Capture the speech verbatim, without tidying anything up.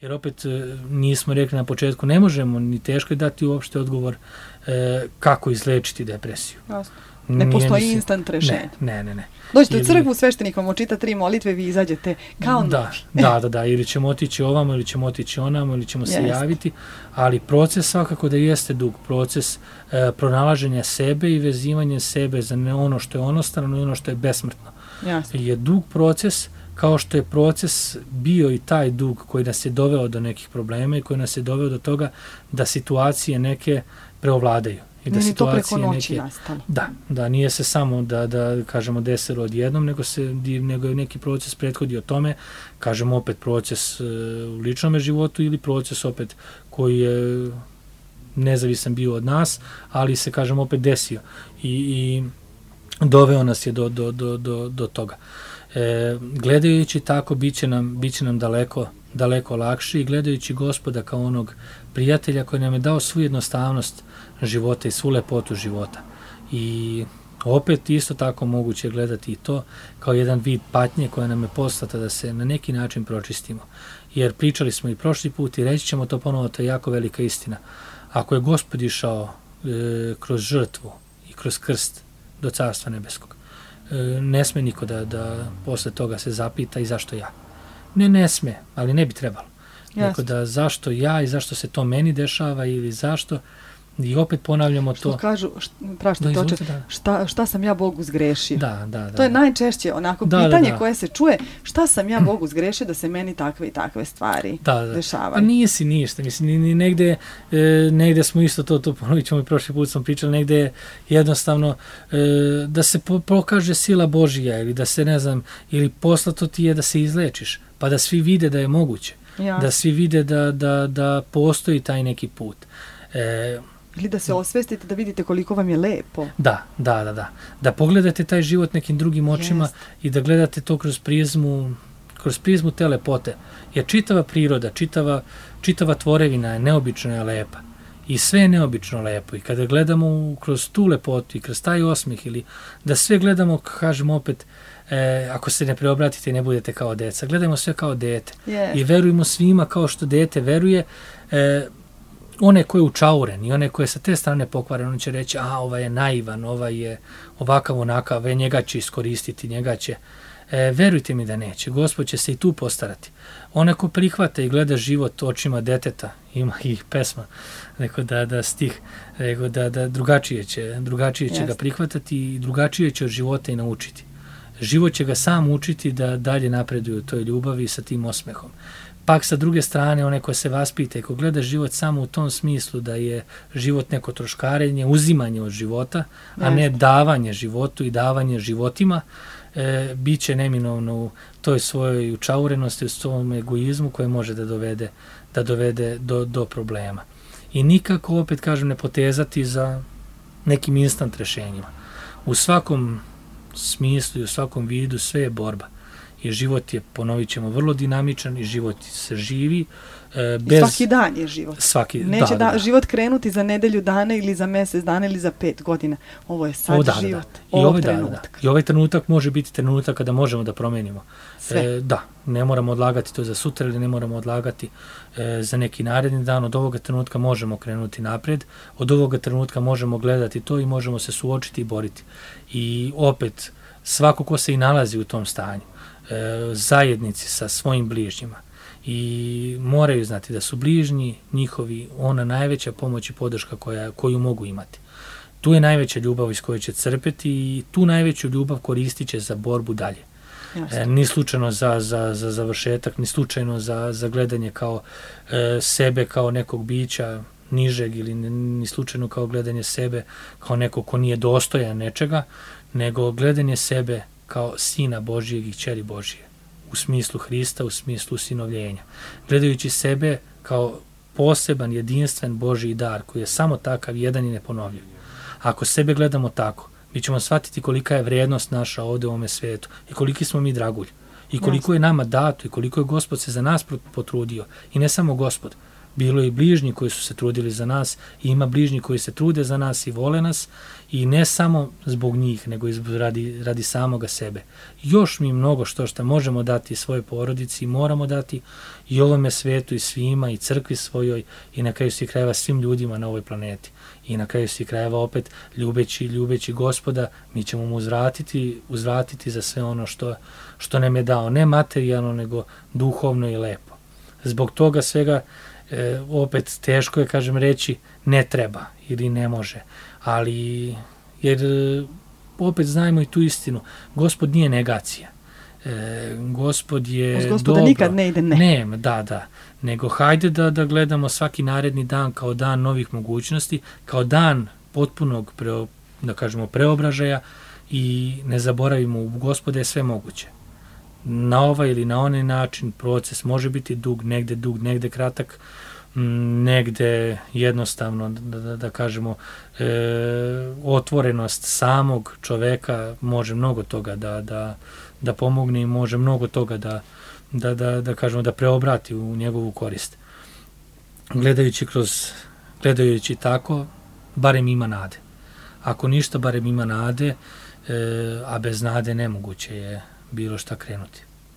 Jer opet nismo rekli na početku, ne možemo ni teško je dati uopšte odgovor e, kako izlečiti depresiju. Jasno. Ne postoji se, instant rešenje. Ne, ne, ne. Dođete u crkvu, sveštenik vam očita tri molitve, vi izađete kao da, novi. da, da, da, ili ćemo otići ovamo, ili ćemo otići onamo, ili ćemo se Jeste. javiti, ali proces svakako da jeste dug, proces e, pronalaženja sebe i vezivanja sebe za ne ono što je onostrano i ono što je besmrtno. Jasne. Je dug proces, kao što je proces bio i taj dug koji nas je doveo do nekih problema i koji nas je doveo do toga da situacije neke preovladaju. I da nije to preko situacije noći neke, nastalo. Da, da nije se samo da, da kažemo desilo odjednom, nego, se, nego je neki proces prethodio tome, kažemo opet proces e, u ličnom životu ili proces opet koji je nezavisan bio od nas, ali se kažemo opet desio i, i doveo nas je do, do, do, do, do toga. E, gledajući tako, bit će nam, bit će nam daleko, daleko lakše i gledajući Gospoda kao onog prijatelja koji nam je dao svu jednostavnost života i svu lepotu života. I opet isto tako moguće gledati i to kao jedan vid patnje koja nam je poslata da se na neki način pročistimo. Jer pričali smo i prošli put i reći ćemo to ponovo, to je jako velika istina. Ako je Gospod išao e, kroz žrtvu i kroz krst do Carstva nebeskog, e, ne sme niko da, da posle toga se zapita i zašto ja. Ne, ne sme, ali ne bi trebalo. Tako da zašto ja i zašto se to meni dešava ili zašto, i opet ponavljamo to. Što kažu, prašta toče, šta, šta sam ja Bogu zgrešio? Da, da, da. To je najčešće onako da, pitanje da, da. koje se čuje, šta sam ja Bogu zgrešio da se meni takve i takve stvari da, da. dešavaju. Pa nisi ništa, mislim, ni, ni negde, e, negde smo isto to, to ponovit ćemo i prošli put sam pričali, negde je jednostavno e, da se po, pokaže sila Božija ili da se, ne znam, ili poslato ti je da se izlečiš, pa da svi vide da je moguće. Ja. Da svi vide da, da, da postoji taj neki put. E, Ili da se osvestite, da vidite koliko vam je lepo. Da, da, da, da. Da pogledate taj život nekim drugim očima yes. i da gledate to kroz prizmu, kroz prizmu te lepote. Jer čitava priroda, čitava, čitava tvorevina je neobično je lepa. I sve je neobično lepo. I kada gledamo kroz tu lepotu i kroz taj osmih ili da sve gledamo, kažemo opet, E, ako se ne preobratite i ne budete kao deca. Gledajmo sve kao dete. Yes. I verujemo svima kao što dete veruje. E, one koje je učauren i one koje sa te strane pokvaren, on će reći, a ovaj je naivan, ovaj je ovakav onakav, e, njega će iskoristiti, njega će. E, verujte mi da neće. Gospod će se i tu postarati. One ko prihvata i gleda život očima deteta, ima ih pesma, neko da, da stih, neko da, da drugačije će, drugačije će yes. ga prihvatati i drugačije će od života i naučiti. Život će ga sam učiti da dalje napreduje u toj ljubavi sa tim osmehom. Pak sa druge strane, one koje se vaspite, ko gleda život samo u tom smislu da je život neko troškarenje, uzimanje od života, a ne davanje životu i davanje životima, e, bit će neminovno u toj svojoj učaurenosti, u svom egoizmu koje može da dovede, da dovede do, do problema. I nikako, opet kažem, ne potezati za nekim instant rešenjima. U svakom smislu i u svakom vidu sve je borba. I život je, ponovit ćemo, vrlo dinamičan i život se živi. E, bez... I svaki dan je život. Svaki, Neće da, da, da. život krenuti za nedelju dana ili za mjesec dana ili za pet godina. Ovo je sad o, da, život. Da, da. I, ovaj, trenutak. Da, da. I ovaj trenutak može biti trenutak kada možemo da promenimo. E, da, ne moramo odlagati to za sutra ili ne moramo odlagati e, za neki naredni dan. Od ovoga trenutka možemo krenuti napred. Od ovoga trenutka možemo gledati to i možemo se suočiti i boriti. I opet, svako ko se i nalazi u tom stanju, e, zajednici sa svojim bližnjima i moraju znati da su bližnji njihovi ona najveća pomoć i podrška koja, koju mogu imati. Tu je najveća ljubav iz koje će crpeti i tu najveću ljubav koristit će za borbu dalje. E, ni slučajno za, za, za završetak, ni slučajno za, za gledanje kao e, sebe kao nekog bića nižeg ili ni slučajno kao gledanje sebe kao nekog ko nije dostojan nečega, nego gledanje sebe kao sina Božijeg i kćeri Božije, u smislu Hrista, u smislu usinovljenja. Gledajući sebe kao poseban, jedinstven Božji dar, koji je samo takav, jedan i neponovljiv. Ako sebe gledamo tako, mi ćemo shvatiti kolika je vrijednost naša ovde u ovome svetu i koliki smo mi dragulj i koliko je nama dato i koliko je Gospod se za nas potrudio. I ne samo Gospod, bilo je i bližnji koji su se trudili za nas i ima bližnji koji se trude za nas i vole nas i ne samo zbog njih, nego i radi, radi samoga sebe. Još mi mnogo što što možemo dati svojoj porodici i moramo dati i ovome svetu i svima i crkvi svojoj i na kraju svih krajeva svim ljudima na ovoj planeti. I na kraju svih krajeva opet ljubeći, ljubeći Gospoda, mi ćemo mu uzvratiti, uzvratiti za sve ono što, što nam je dao. Ne materijalno, nego duhovno i lepo. Zbog toga svega e, opet teško je, kažem, reći ne treba ili ne može. Ali, jer opet znajmo i tu istinu. Gospod nije negacija. E, Gospod je Uz Gospoda dobro. Nikad ne ide ne. Ne, da, da. Nego hajde da, da gledamo svaki naredni dan kao dan novih mogućnosti, kao dan potpunog, preo, da kažemo, preobražaja i ne zaboravimo, u Gospoda je sve moguće. Na ovaj ili na onaj način proces može biti dug, negde dug, negde kratak, negde jednostavno, da, da, da kažemo, e, otvorenost samog čoveka može mnogo toga da, da, da pomogne i može mnogo toga da, da, da, da kažemo, da preobrati u njegovu korist. Gledajući kroz, gledajući tako, barem ima nade. Ako ništa, barem ima nade, e, a bez nade nemoguće je bilo šta krenuti.